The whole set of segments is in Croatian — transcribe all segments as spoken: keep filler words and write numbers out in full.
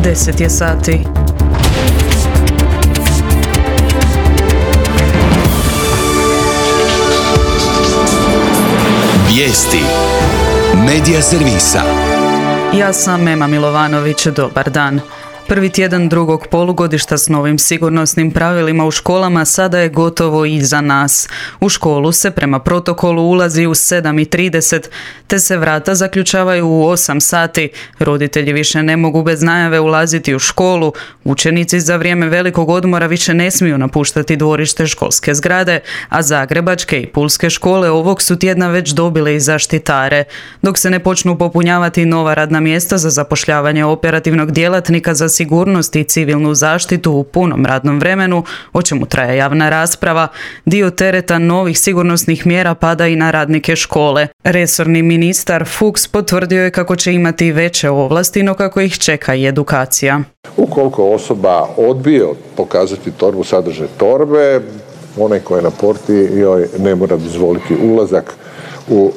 deset je sati. Vijesti Medija servisa. Ja sam Ema Milovanović, dobar dan. Prvi tjedan drugog polugodišta s novim sigurnosnim pravilima u školama sada je gotovo iza nas. U školu se prema protokolu ulazi u sedam i trideset, te se vrata zaključavaju u osam sati. Roditelji više ne mogu bez najave ulaziti u školu. Učenici za vrijeme velikog odmora više ne smiju napuštati dvorište školske zgrade, a zagrebačke i pulske škole ovog su tjedna već dobile i zaštitare. Dok se ne počnu popunjavati nova radna mjesta za zapošljavanje operativnog djelatnika za sigurnost i civilnu zaštitu u punom radnom vremenu, o čemu traje javna rasprava, dio tereta novih sigurnosnih mjera pada i na radnike škole. Resorni ministar Fuchs potvrdio je kako će imati veće ovlasti, no kako ih čeka i edukacija. Ukoliko osoba odbije pokazati torbu, sadržaj torbe, onaj koji je na porti joj ne mora dozvoliti ulazak u,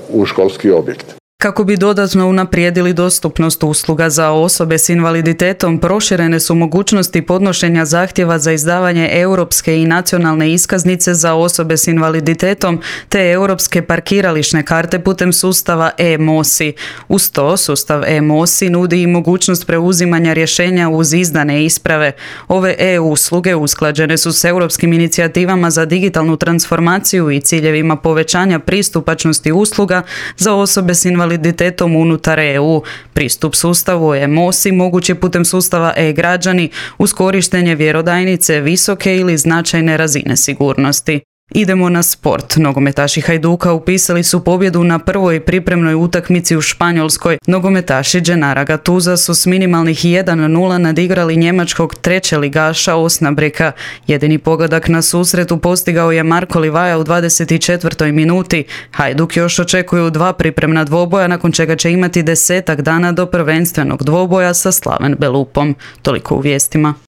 u školski objekt. Kako bi dodatno unaprijedili dostupnost usluga za osobe s invaliditetom, proširene su mogućnosti podnošenja zahtjeva za izdavanje europske i nacionalne iskaznice za osobe s invaliditetom te europske parkirališne karte putem sustava e-mosi. Uz to, sustav e-mosi nudi i mogućnost preuzimanja rješenja uz izdane isprave. Ove e-usluge usklađene su s europskim inicijativama za digitalnu transformaciju i ciljevima povećanja pristupačnosti usluga za osobe s invaliditetom invaliditetom unutar E U. Pristup sustavu e-mosi mogući putem sustava e-građani uz korištenje vjerodajnice visoke ili značajne razine sigurnosti. Idemo na sport. Nogometaši Hajduka upisali su pobjedu na prvoj pripremnoj utakmici u Španjolskoj. Nogometaši Gennara Gattusa su s minimalnih jedan nula nadigrali njemačkog trećeligaša Osnabrücka. Jedini pogodak na susretu postigao je Marko Livaja u dvadeset četvrtoj minuti. Hajduk još očekuju dva pripremna dvoboja, nakon čega će imati desetak dana do prvenstvenog dvoboja sa Slaven Belupom. Toliko u vijestima.